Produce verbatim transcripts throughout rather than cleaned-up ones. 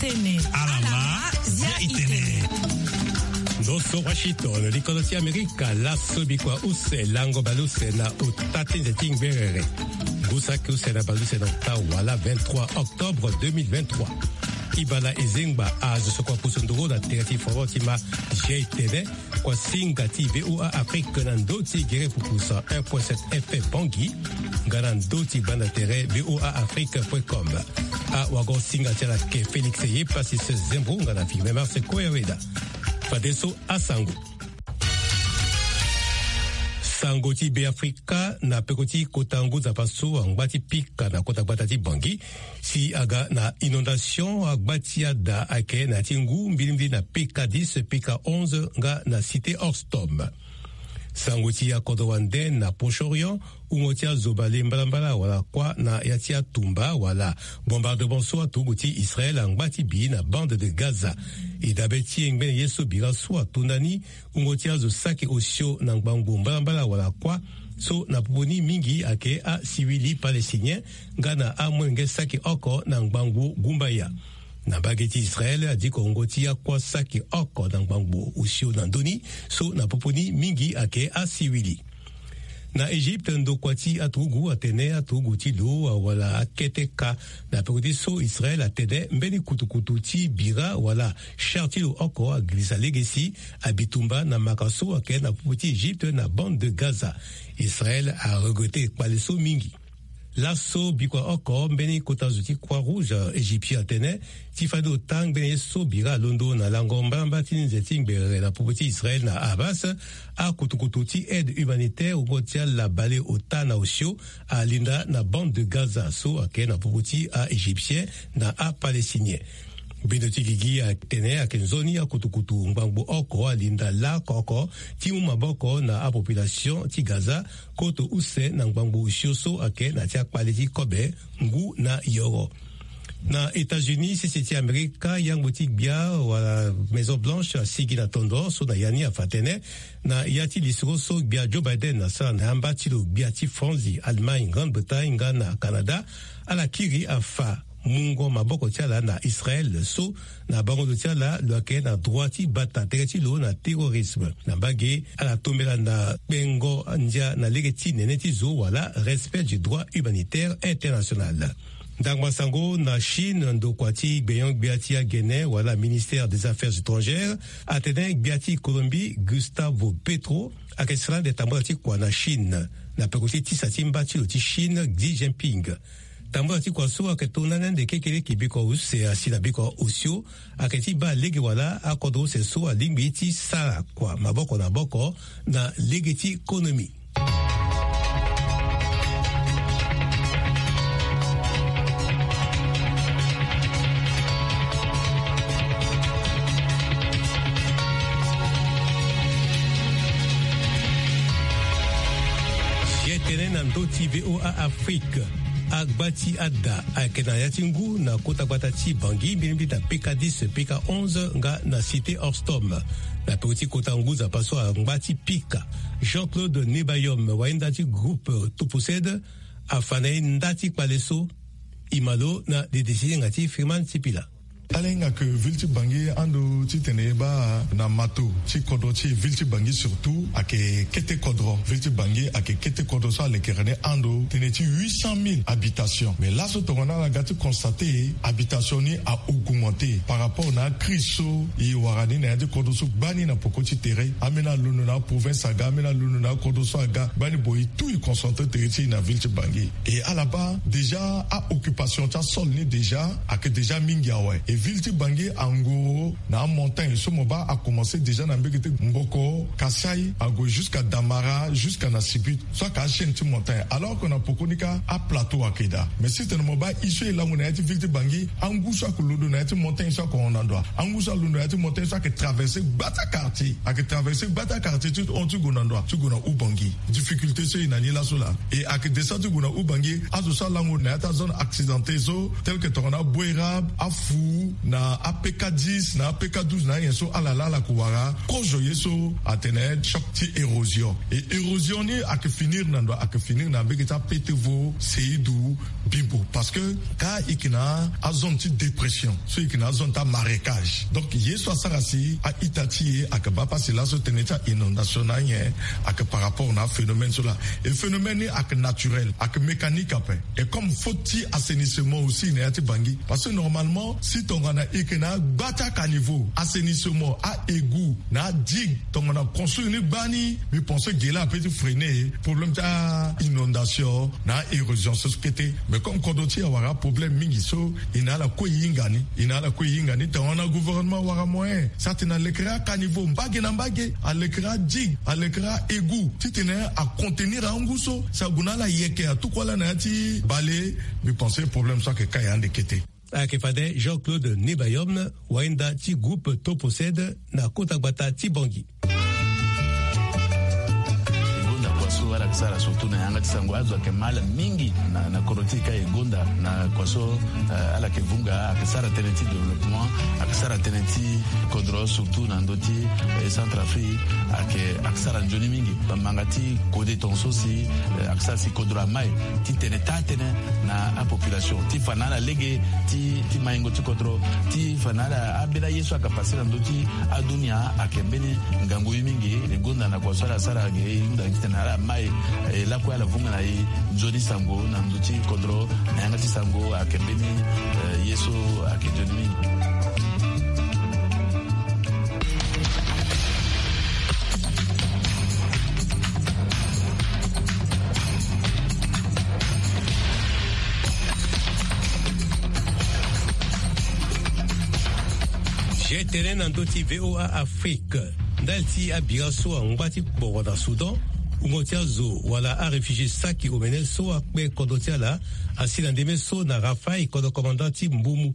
Alama, zia itene. Ndo so Washington, likolo ti Amerika, laso bikua use, lango baleuse na ota ti nze ti ngberere. Ngu saki use na baleuse na ota wala vingt-trois octobre deux mille vingt-trois. Ibala ezengba azo so kua pusu nduru na tere ti foro ti ma, zia itene. Kua singa ti V O A Afrique na ndo ti gere pupu cent un point sept F M Bangui, nga na ndo ti banda tere V O A Afrique point com. Awago singa ti ala ke Félix Eyepasis Zembo nga na Firmin Marse Koyaweda. Fadeso asango. Sango ti Be Afrika na peko ti kota ngu nzapa so angba ti pika na kota gbata ti Bangui. Si aga na inondation, agba ti ada ayeke na ya ti ngu mbilimbili na P K dix, P K onze nga na Cité Horstom. Sango ti akodro wande na Proche-Orient, wungo ti azo bale mbalambala wala kuâ na ya ti atumba wala bombardement so aturugu ti Israël angba ti bi na bande de Gaza. E dabe ti e ngbene ye so bira so ato ndani, wungo ti azo saki osio na ngbangbo mbalambala wala kuâ, so na popo ni mingi ayeke asiwili palestinien, nga na amolenge saki oko na ngbangbo gumbaya. Na mbage ti Israël, adiko wungo ti akuâ saki oko na ngbangbo osio na ndö ni, so na popo ni mingi ayeke asiwili. Na Egypte, ndokua ti aturugu atene aturugu ti lo awala akete ka na peko ti so Israël atene mbeni kutukutu ti bira wala char ti lo oko agirisa lege si abitumba na maka so ayeke na popo ti Egypte na bande de Gaza. Israël aregrete kpale so mingi. Laso bikua oko mbeni kota zo ti Croix-Rouge égyptien atene ti fade ota ngbene ye so bira alondo na lango mbalambala ti nze ti ngberere na popo ti Israël na Hamas, akutukutu ti aide humanitaire wungo ti ala bale ota na osio alinda na bande de Gaza so ayeke na popo ti a-Égyptien na a-Palestinien. Bendo ti gigi atene ayeke nzoni akutukutu ngbangbo oko alinda lako oko ti mu maboko na apopulation ti Gaza, koto use na ngbangbo osio so ayeke na ti akpale ti kobe ngu na yoro. Na États-Unis, sese ti Amerika, yangbo ti gbia wala Maison Blanche asigi na tondo so na ya ni afa tënë na ya ti lisoro so gbia Joe Biden asara na yamba ti lo gbia ti Franzi, Allemagne, Grande-Bretagne nga na Canada, ala kiri afa mungo maboko ti ala na Israël so na bango ndo ti ala lo yeke na droit ti bata tere ti lo na terrorisme. Na mbage ala tombela na kpengo ndia na lege ti nene ti zo wala respect du droit humanitaire international. Ndangba sango na Chine, ndokua ti gbenyo-gbia ti agene wala ministère des affaires étrangères atene gbia ti Colombie Gustavo Petro ayeke sara ande tambula ti kua na Chine na peko ti tisa ti mba ti lo ti Chine Xi Jinping. Tambula ti kua so ayeke tongana ande kekereke bikua use asi na bikua osio ayeke ti baa lege wala akodro use so alingbi ti sara kua maboko na maboko na lege ti konomi. Ye tene na ndö ti V O A Afrique. Agba ti ada ayeke na ya ti ngu na kota gbata ti Bangui, mbilimbili na P K dix, P K onze nga na Cité Horstom. Na peko ti kota ngu nzapa so angba ti pika, Jean-Claude Nebayom, wahinda ti groupe Topused, afa na e nda ti kpale so. E ma lo na dede ti hinga ti Freeman Sipila. Ala hinga ke ville ti Bangui ando titene e baa na mato ti kodro ti e, ville ti Bangui surtout ayeke kete kodro. Ville ti Bangui ayeke kete kodro so alekere ni ando tënë ti huit cent mille habitations. Mais laso tongana ala ga ti constate, habitation ni a-augmenter par rapport na acrise so e wara ni na ya ti kodro so gbani na poko ti tere. Ambeni alondo na aprovince aga, ambeni alondo na akodro so aga, gbani boye tout e concentre tere ti e na ville ti Bangui. E ala baa déjà a-occupation ti asol ni déjà ayeke déjà mingi awe. E ville ti Bangui angoro na amontagne so mo baa akomanse déjà na mbege ti Mboko, Kasaï, ague jusqu'à Damara, jusqu'à na Sibit, so ayeke achaîne ti montagne. Alors que na poko ni kâ aplateau ayeke daa. Mais si tene mo baa e so e lango na ya ti ville ti Bangui, angu so ayeke londo na ya ti montagne so ayeke hon na ndo wa. Angu so alondo na ya ti montagne so ayeke traverser gbata quartier. Ayeke traverser gbata quartier ti hon ti gue na ndo wa, ti gue na Oubangui. Difficulté so e na ni laso laa. E ayeke descend ti gue na Oubangui, azo so alango na ya ti azone accidenté so, tel que tongana Bouérab, Afou, Na apk dix na apk douze na ayen so ala laa ala ko wara kozo ye so atene choc ti érosion. E érosion ni ayeke finir na ndo? Ayeke finir na mbege ti apete vo seidu bimbo parce que ka e yeke na azone ti dépression so e yeke na azone ti amarécage. Donc ye so asara si a-ita ti e ayeke baa pasi laso tënë ti a-inondation na anyen ayeke par rapport na aphénomène so laa. E phénomène ni ayeke naturel, ayeke mécanique ape. Et comme faute ti assainissement aussi na ya ti bangi parce que normalement si tongana e yeke na agba ti acaniveau, assainissement, a-égout na adigue, tongana construire ni gbani, mbi pense ge laa ape ti freiner problème ti a-inondation na a-érosion so so kete. Mais comme kodro ti e awara aproblème mingi so e na ala kue e hinga ni, e na ala kue e hinga ni tongana gouvernement awara moyen si atene alekere acaniveau mbage na mbage, alekere adigue, alekere a-égout titene acontenir angu so si ague na ala yeke atuku ala na ya ti bale. Mbi pense problème so ayeke ka ya ande kete. Ayeke fade Jean-Claude Nebayom, wainda ti groupe Toposed na kota gbata ti Bangui. Gonda kua so ala yeke sara surtout na yanga ti sango, azo ayeke ma ala mingi na, na kodro ti e ka e gonda na kua so, eh, ala yeke vunga, ayeke sara tënë ti développement, ayeke sara tënë ti kodro surtout na ndö ti, eh, Centrafrique, ayeke, ayeke sara nzoni mingi. Bamanga ti kode tongaso si, eh, ayeke sara si kodro amai titene taa tënë na apopulation ti fa na ala lege ti, ti maingo ti kodro, ti fa na ala ambeni aye so ayeke pase na ndö ti adunia. Ayeke mbeni ngangu ye mingi. E gonda na kua so ala sara ge e hunda titene ala mai, eh, lakue ala vunga na e nzoni sango na ndö ti kodro na yanga ti sango ayeke mbeni, eh, ye so ayeke nzoni mingi. Ge tene na ndö ti VOA Afrique. Ndali ti abira so angba ti kporo na Soudan, wungo ti azo wala aréfugié saki omene so akpe kodro ti ala asi na ndeme so na Rafaï, kodro commandant ti Mbumu.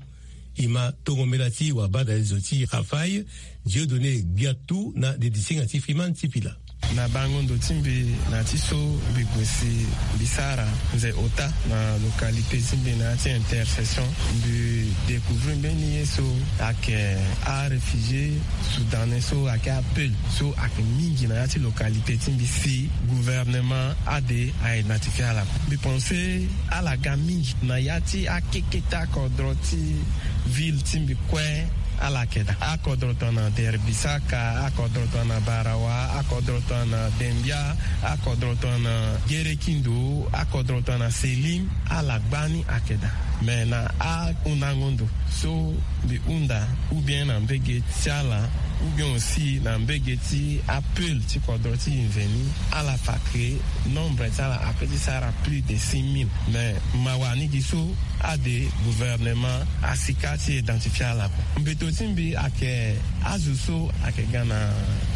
E ma tongo mbela ti wabadalezo ti Rafaï, Dieudonné Gbiatou na didisinga ti Freeman Sipila. Na bango ndo ti mbi na ya ti so mbi gue si mbi sara nze ota na localité ti mbi na ya ti Intercession, mbi découvrir mbeni ye so ayeke aréfugié soudanais so ayeke apeul so ayeke mingi na ya ti localité ti mbi si gouvernement ade a identifier ala. Mbi pense ala ga mingi na ya ti akeketa kodro ti ville ti mbi kue. Ala yeke daa akodro tongana Derbisaka, akodro tongana Barawa, akodro tongana Dembia, akodro tongana Gerekindo, akodro tongana Selim. Ala gbani ayeke daa. Mais na ahundango ndo so mbi hunda, ou bien na mbege ti ala, ou bien aussi na mbege ti apeul ti kodro ti e mveni, ala fa ke nombre ti ala ape ti sara plus de six mille. Mais mawa ni gi so ade gouvernement asika ti identifier ala kue. Mbeto ti mbi ayeke azo so ayeke ga na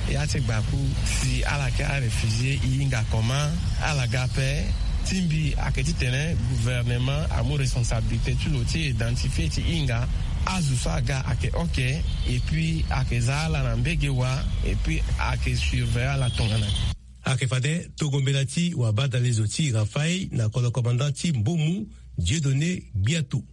ya ti gbaku si ala yeke aréfugié, e hinga comment? Ala ga ape. Ti mbi ayeke titene gouvernement amu responsabilité ti lo ti identifier ti hinga azo so aga ayeke ok, et puis ayeke za ala na mbege wa, et puis ayeke surveiller ala tongana. Ayeke fade tongo mbela ti wabadalezo ti Rafaï na kodro commandant ti Mbumu, Dieudonné Gbiatou.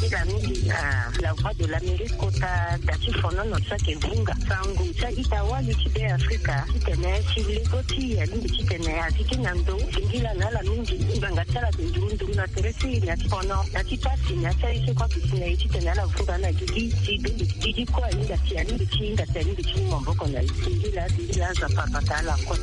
Nzila mingi na La Voix de l'Amérique kota da ti fonono so ayeke vunga sango ti a-ita wali ti Be Afrika titene ti lego ti e alingbi titene a zi ti na ndo. Singila na ala mingi ngbanga ti ala ayeke nduru nduru na tere ti e na ti fono na ti pasi na ya ti aye so kue aduti na e titene ala vunga na gigi ti be. Gigi kue ahinga si alingbi ti hinga si alingbi ti mu maboko na e. Singila singila azo apara bata ala kue.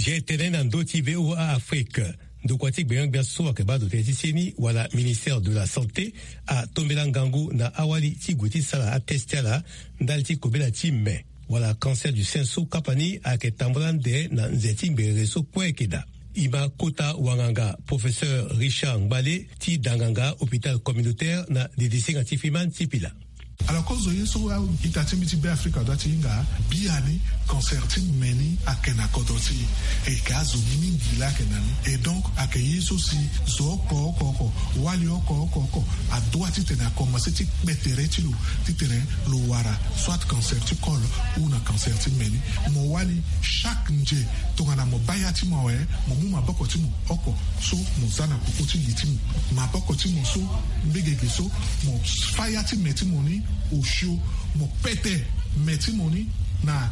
Ge tene na ndö ti VOA Afrique. Ndokua ti gbenga-gbia so ayeke baa ndo tënë ti seni wala ministère de la santé atombela ngangu na awali ti gue ti sara atest ti ala ndali ti kobela ti me wala cancer du sein so kapa ni ayeke tambula ande na nze ti ngbere so kue ayeke daa. E ma kota wanganga professeur Richard Ngbale ti danganga hôpital communautaire na didisinga ti Freeman Sipila. Alors kozo ye so ita ti mbi ti Beafrika dua ti hinga biani. Cancer ti me ni ayeke na kodro ti e, e yeke azo mingi laa ayeke na ni. Et donc ayeke ye so si zo oko oko oko, wali oko oko oko adua titene akomanse ti kpe tere ti lo, titene lo wara soit cancer ti col ou na cancer ti me ni. Mo wali chaque nze tongana mo baa ya ti mo awe, mo mu maboko ti mo oko so mo za na koko ti li ti mo, maboko ti mo so mbegege so mo fâ ya ti me ti mo ni osio, mo pete me ti mo ni na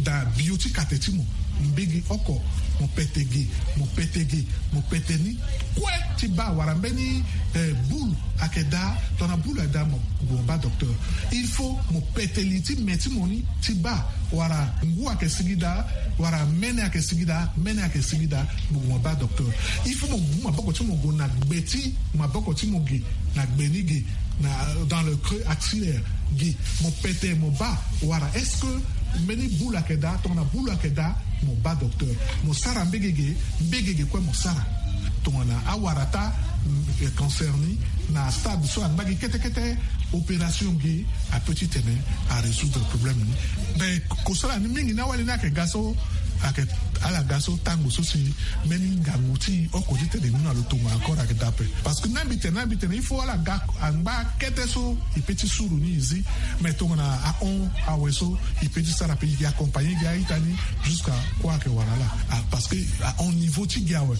da bio ti kate ti mo mbege oko, mo pete ge, mo pete ge, mo pete ni kue ti baa wala mbeni eh, boule ayeke daa, tongana boule ayeke daa mo, mo baa docteur. Il faut mo pete li ti me ti mo ni ti baa wala ngu ayeke sigi daa, wala mene ayeke sigi daa, mene ayeke sigi daa, mo gue mo baa docteur. Il faut mo mu maboko ti mo gue na gbe ti maboko ti mo ge, na gbe ni ge, na dans le creux axillaire ge, mo pete mo baa wala est-ce que mbeni boule ayeke daa, tongana boule ayeke daa, mo baa docteur. Mo sara mbegege, mbegege kue mo sara. Tongana awara taa cancer ni na stade so angba gi kete kete, opération gi apeut titene arésoudre problème ni. Mais kosala ni mingi ni awali ni ayeke ga so ayeke ala ga so tango so si mbeni ngangu ti oko titene e mu na lo tongana encore ayeke daa ape. Parce que na mbi tene na mbi tene il faut ala ga angba kete so e peut ti suru ni e zi. Mais tongana ahon awe so e peut ti sara pe e yeke accompagner gi a-ita ni jusqu'à kue ayeke wara ala. Parce que ahon niveau ti gi awe,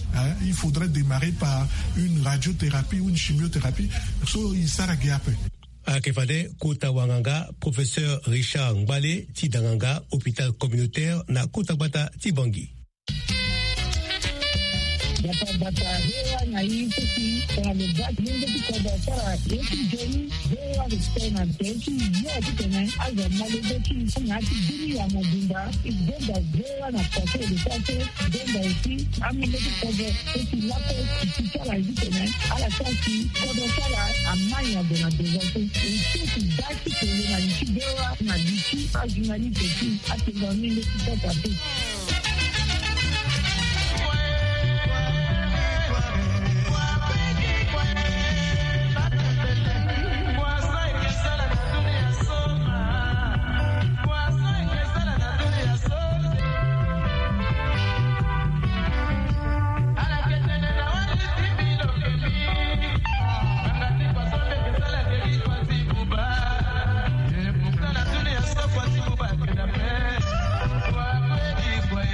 il faudrait démarrer par une radiothérapie ou une chimiothérapie so e sara gi ape. Ayeke fade kota wanganga professeur Richard Ngbale ti danganga hôpital communautaire na kota gbata ti Bangui. Bata bata hewa na i sisi tongana lo bati lenge ti kodro asara ye ti joni. Hewa respect na te ti yo titene azo ma lege ti na ti bini ya mobimba. I gbenda hewa na pase lo pase. Gbenda aussi amolenge ti kodro so ti lako ti sara ye titene ala sara si kodro sara amai ague na devance. E so ti baa ti tene na li ti hewa na li ti ajournaliste ti atene amolenge ti kodro ape.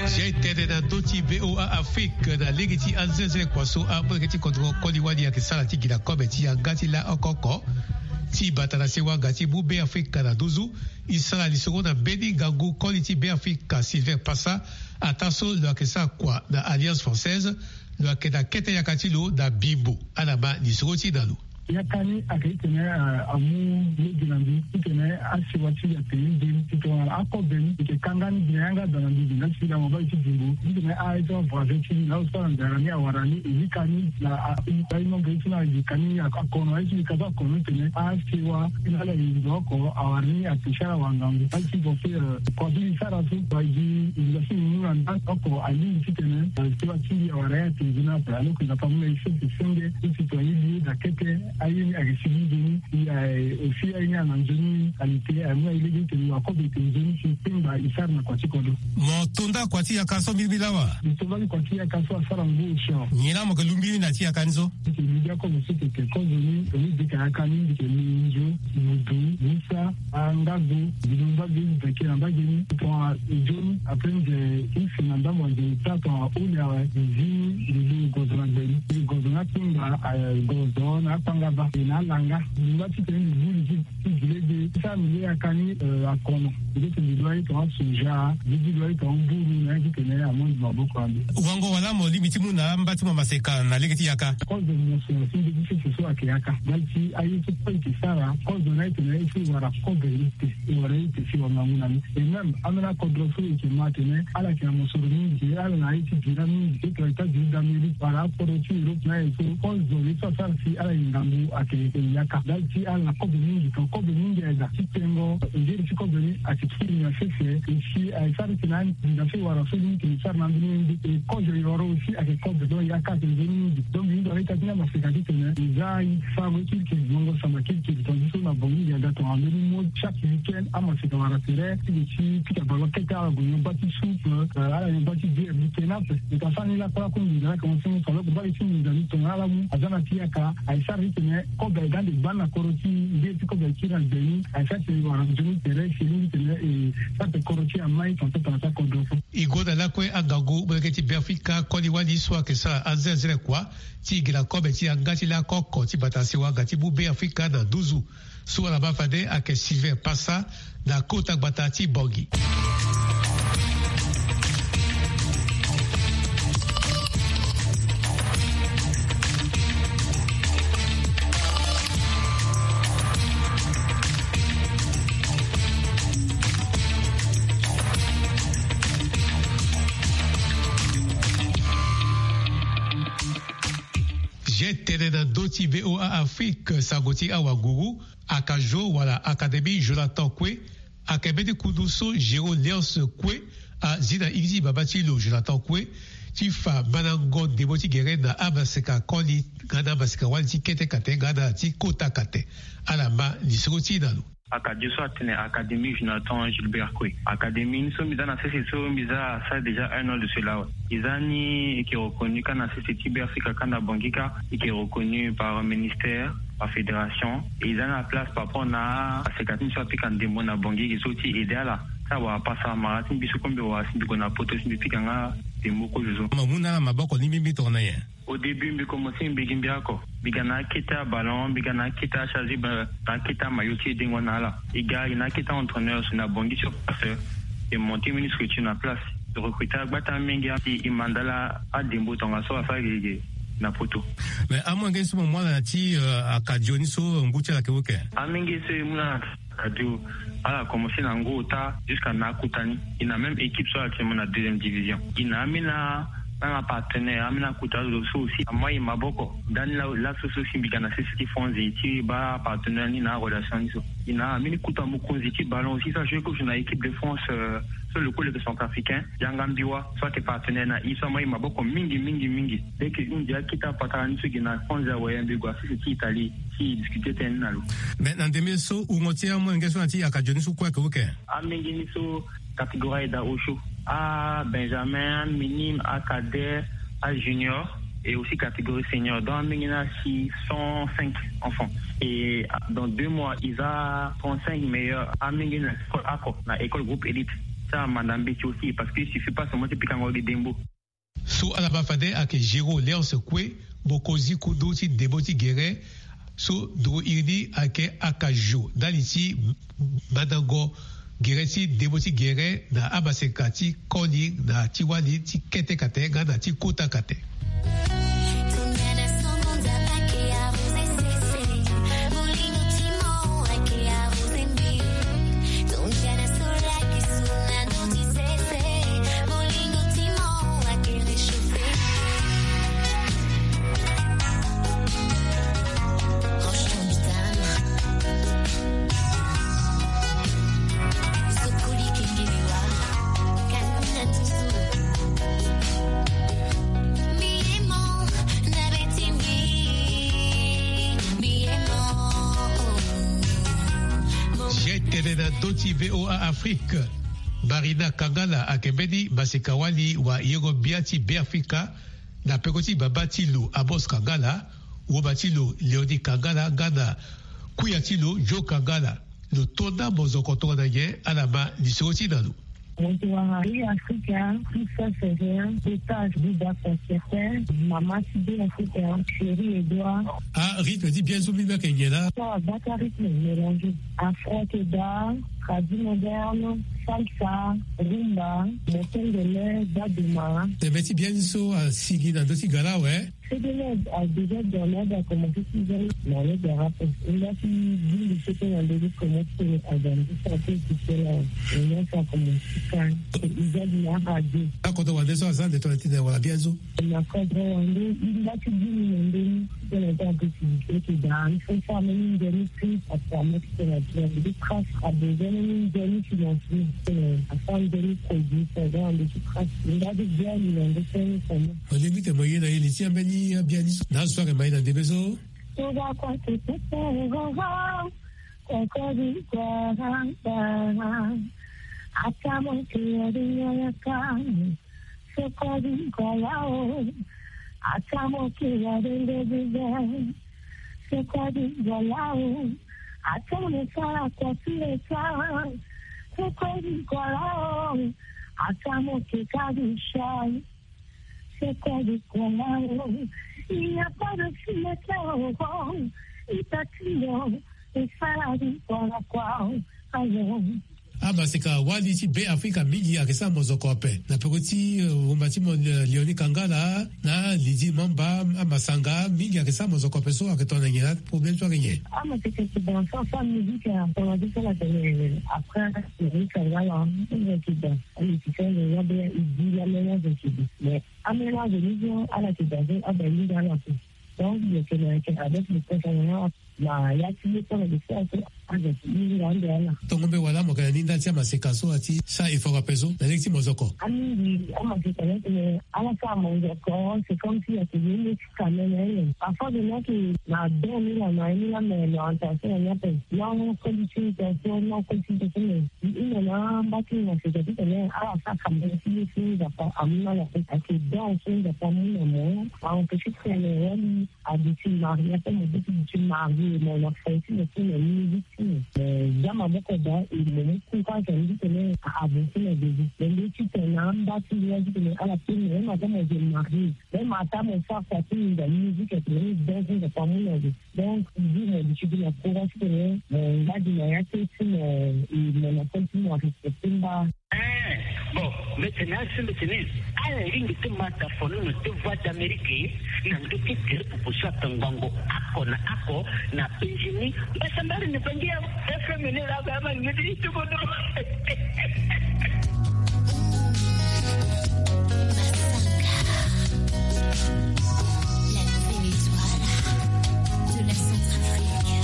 Zia e tene na ndö ti V O A Afrique na lege ti azenzele kua so amolenge ti kodro koli wali ayeke sara ti gi na kobe ti yanga ti laa oko oko ti bata na sewa ga ti mu Beafrika na nduzu. E sara lisoro na mbeni ngangu koli ti Beafrika Sylvain Passa, ataa so lo yeke sara kua na Alliance Française. Lo yeke na kete yaka ti lo na bimbo. Ala ma lisoro ti na lo. Yaka ni ayeke titene amu lege na mbi titene asewa ti mbi atene mbeni ti tongana akobe ni e yeke kanga ni gi na yanga da na mbi gi nga ti sila mo baa e ti bimbo titene aye so avoisin ti mbi na azo so ala nzara ni awara ni e lika ni na a i nombre ye so na yika ni akono aye so yika so akono titene asewa ti na ala e yinga oko awara ni ate ti ala wangangu aye ti bo so kua so e sara so wa gi yinga so e mu na nda oko alingbi titene sewa ti mbi awara ye ate nzoni ape alors que na pa mu na e so ete senge ti si to aye mbi ye da kete. Aye ni ayeke sigi nzoni. Aussi aye ni ana nzoni qualité aye mu na e lege ti tene wa kobe ete nzoni si kpengba e sara na kua ti kodro. Mo to nda kua ti yaka so mbirimbiri lawa? Mo to nda ni kua ti yaka so asara ngu osio. Nyen la mo yeke lu mbiri na ti yaka ni so? Mbi yeke lu bia kozo so tete kozo ni tongana mbi yeke yaka ni mbi yeke lu nzo mudu musa angago. Mbi lu mbage mbi yeke na mbage ni tongana nzoni après nze ti si na ndambo anze ota tongana oli awe mbi zi mbi lu gozo na gbe ni mbi gozo na akpengba gozo na akpangaba e na alanga. Mbi ngba titene mbi buli ti ti gi lege ti sara mbi lege yaka ni akono. Mbi leke mbi lu aye tongana soja mbi gi lu aye tongana mburu na ye titene amondi maboko na mbi. Wango wala mo lingbi ti mu na amba ti mo maseka na lege ti yaka? Kozo mo so na ti mbeti sese so ayeke yaka nda ti aye so kue e yeke sara kozo na ye tene e si wara kozo. Ite e wara ite si wara ngangu na ni. E même ambeni akodro so e yeke ma atene ala yeke na mosoro mingi, e ala na ye ti bira mingi, e tongana États-Unis d'Amérique wala akodro ti Europe na aye so, kozo ye so asara si ala yeke ngangu ayeke yaka. Ndali ti ala na kobe mingi, tongana kobe mingi aye daa ti tengo ngeri ti kobe ni ayeke kiri na sese. E si aye sara ti tene anginza so e wara so ni yeke sara na ambeni ye nde e kozo e wara aussi ayeke kobe. Donc yaka ayeke nzoni mingi. Donc mbi hinga wala ita ti ni amaseka ti tene e za aye. Sarango ye kirikiri, ngongo samba kirikiri, tongana so na Bangui e ga tongana ambeni mo chaque week-end amaseka wara tere ti lo ti pika ballon kete, ala gue nyon bâ ti soupe, euh, ala nyon bâ ti bière, mbi tene ape. Mbi ta sara ni lakue lakue, nginza ni ayeke mo sengo so, alors que mbage ti nginza ni tongana ala mu aza na ti yaka, aye sara ti tene kobe aye ga ande gbani na kodro ti e, nde ti kobe aye kiri na gbe ni, aye sara ti tene e wara nzoni tere si e lingbi tene e sara ti kodro ti e amai tongana so tongana so akodro so. E gue na lakue angangu molenge ti Beafrika koli wali so ayeke sara anzenazene kua ti gi na kobe ti yanga ti lako oko ti bata sewa ga ti mu Beafrika na nduzu. So ala ma fade ayeke Sylvain Passa na kota gbata ti Bangui. Zia tene na ndö ti V O A Afrique, sango ti awanguru, Akajo wala Académie Jonathan Koué, ayeke mbeni kundu so Géraud Léonce Koué azi na iri ti baba ti lo Jonathan Koué ti fa mandango ndembo ti gere na amaseka koli nga na amaseka wali ti kete kate nga na ti kota kate. Ala ma lisoro ti e na lo. Akajo so atene Académie Jonathan Gilbert Koué. Académie ni so mbi za na sese so mbi za asara déjà un an de cela awe. E za ni e yeke reconnu kâ na sese ti Beafrika kâ na Bangui kâ, e yeke reconnu par ministère, par fédération. E za ni na place par rapport na aseka ti ni so apika ndembo na Bangui, e zo ti aidé ala. Ti awara pasa mara ti mbi so kue mbi wara si mbi gue na poto si mbi pika nga ndembo kozo so. Mo mu na ala maboko ni mbi mbi tongana nyen? Au début mbi commencé mbi gi mbi oko. Mbi ga na akete aballon, mbi ga na akete achargé, na akete amaillot ti e dengo na ala. E ga e na akete aentraîneur so na Bangui sur place. E monté mbeni structure na place. E recruté agbata amenge ti e mandala adembo tongaso asara gege na poto. Mais amolenge so mo mu ala na ti, euh, Akajo ni so ngu ti ala ayeke oko? Amenge so e mu na Akajo, ala commencé na ngu ota jusqu'à na akota ni. E na même équipe so actuellement na deuxième division. E na ambeni, na na partenaire, ambeni akota zo so aussi amai e maboko. Ndani la, laso so si mbi ga na sese ti Fonzi ti baa partenaire ni na arelation ni so. E na ambeni kota mokonzi ti ballon aussi so ajoue kozo na équipe de France, euh, so le koli yeke centrafricain, Yanga Mbiwa, so ayeke partenaire na e so amai e maboko mingi, mingi, mingi. Leke hundi akete apatara ni so e gi na Fonzi awe, mbi gue na sese ti Italie ti discuter tënë ni na lo. Mais na ndembe so wungo ti amolenge so na ti Akajo ni so kue ayeke oko? Amenge ni so catégorie aye daa osio, abenjamin, aminime, acadet, ajunior et aussi catégorie senior. Donc amenge ni asi cent cinq enfants. Et dans deux mois e za trente-cinq meilleurs amenge ni na école oko, na école groupe élite. Ti amanda mbeti aussi, parce que il suffit pas seulement ti pikango gi dembo. So ala ma fade ayeke Géraud Léonce Koué, mokonzi kundu ti ndembo ti gere so nduru iri ni ayeke Akajo, ndali ti mandango gere ti ndembo ti gere na amaseka ti koli na ti wali ti kete kate nga na ti kota kate. Zia tene na ndö ti V O A Afrique. Marina Kangala ayeke mbeni maseka-wali wayengo-gbia ti Beafrika, na peko ti baba ti lo Amos Kangala, woma ti lo Léonie Kangala nga na kuya ti lo Joe Kangala. Lo to ndambo zoko tongana nyen? Ala ma lisoro ti e na lo. Mo yeke wara Beafrika, tout ça c'est rien, otage, Bouba Concertin, mama ti Beafrika, chérie Edouard. Ah, rythme ti bien so mbi mbi ayeke nyen laa? So agbata rythme mélangé. Afro ayeke daa, tradi moderne, salsa, rumba, mokengele, baduma. Tene ti bien so asigi na ndö ti ga laa awe. C'est de l'aide à déjà dans l'aide à commencer si jamais dans l'aide à rapport. Il a qui dit le second à l'aide comment tu peux à dans le santé qui fait là. Et là, ça commence quand il a de la radio. Akoto wande so azande to tine wala bien zo. Na kodro wande il a qui dit le monde. Tene ta activité qui dans il faut faire même une demi prix à permettre que la bien de crasse à besoin même une demi financier. Tene à faire une demi produit pour avoir un petit crasse. Il a de bien il a de faire une commande. Mo lingbi tene mo ye na ye li ti ambeni abiani so na azo so ayeke ma ye na ndembe so. Tuba kwa tututu roro. Kokodi kwa ramba. Ata mo ke ya de ya ya ka. Sokodi kwa lao. Ata mo ke ya de de de de. Sokodi kwa lao. Ata mo sala kwa sile sa. Sokodi kwa lao. Ata mo ke ka di shai. Sokodi kwa lao. Il n'y a pas de fille qui a encore. Ita tindo. Esala di kwa kwa. Ayo. Amaseka wali ti Be Afrika mingi ayeke sara mozoko ape. Na peko ti, eh, wumba ti mo, eh, Léonie Kangala, na Lydie Mamba, amasanga mingi ayeke sara mozoko ape so ayeke tongana nyen, aproblème so ayeke nyen? Amaseka ti danse, afa musique, eh, tongana ti so ala tene, eh, après, Léonie Kangala, eh, ayeke danse. Amusicien, eh, ya be, eh, e di la mélange ti bi. Mais amélange ni so, ala yeke danse, abaa e hinga ala so. Donc, lo yeke na yeke avec le temps, na ya ti ye so na de so azo ti hinga ande ala. Tongo mbe wala mo yeke na ni ndali ti amaseka so ati sara effort ape so na lege ti mozoko. Amingi amaseka ni atene ala sara mozoko, c'est comme si ayeke ye ni ti kamene aye. Parfois de ni ayeke na don ni la na ye ni la, mais l'orientation na ni ape. Non, koli ti ni tonso, non, koli ti ni tonso, mais i hunda na mba ti ni maseka titene ala sara kamene ti ye ti Nzapa amu na ala ape. Ayeke don so Nzapa amu na mo, a-empêcher titene wali a duti marié, ape mo duti, duti marié, mo na fo ti mo ti na musique ti mo. Eh, za maboko daa, e mo mu courage andi titene a avancer na Jésus. Mais nde titene na amba ti ndia titene ala pe mo, même ata mo je marié, même ata mo sara sa ti mo na musique, atene ni danse Nzapa amu na zo. Donc, di mo duti gi na courage titene mo ngba gi na ya ti mo, e mo na fo ti mo a respecter mba. Eh, bon, mbi tene asi mbi tene ala ringi ti ma tafono na ti Voix d'Amérique na ndö ti tere pupu so atangbango oko na oko na penzi ni. Mbasambari ni bangi ya F M ni la ba ma ngiti ti kodro. La nouvelle étoile de la Centrafrique.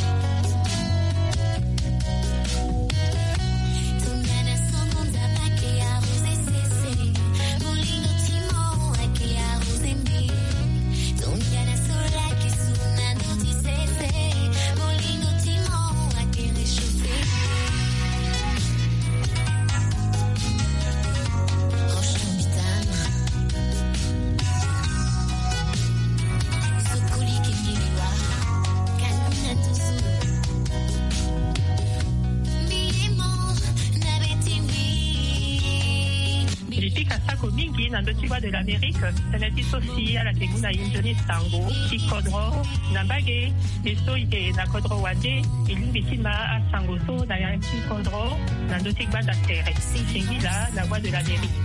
Mbi pika sako mingi na ndö ti Voix de l'Amérique, tënë ti so si ala yeke mu na e nzoni sango ti kodro na mbage. E so e yeke na kodro wande, e lingbi ti ma asango so na ya ti kodro na ndö ti gbanda tere. Singila na Voix de l'Amérique.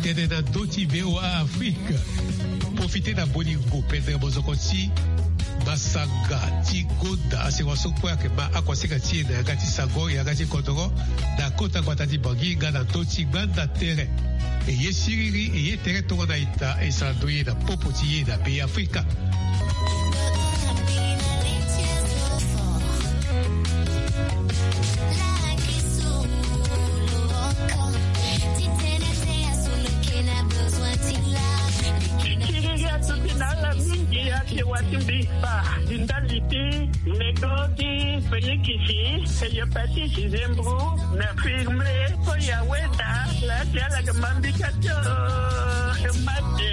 Tene na ndö ti V O A Afrique. Profite na bolingo pendere mozoko ti masanga ti gonda asengo so kue ayeke ma akuasinga ti e na yanga ti sango, yanga ti kodoro, na kota gbata ti Bangui nga na ndö ti gbanda tere. E ye siriri, e ye tere tongana ita, e sara ndoye na popo ti e na Be Afrika. Siriri atuti na ala mingi, ake wa ti mbi fa, ndali ti nego ti fenikisi, hepatite, zembro, na firme, so ya weda, la ti ala ke mambika tio, mate.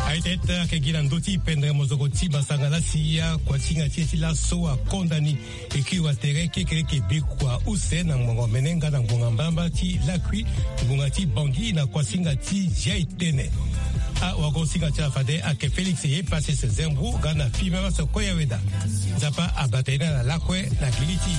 Aye tene ake gi na ndö ti pendere mozoko ti masanga lasi akuasinga ti e ti laso akonda ni. Ekiri wa tere kekereke bikua use na ngbonga omene nga na ngbonga mbalambala ti lakui, ngbonga ti Bangui na kuasinga ti ziai tene. Awagosinga ti ala fade ake Félix Yepassis Zembro nga na fimba maso koya weda. Nzapa abata ye na lakue na gili ti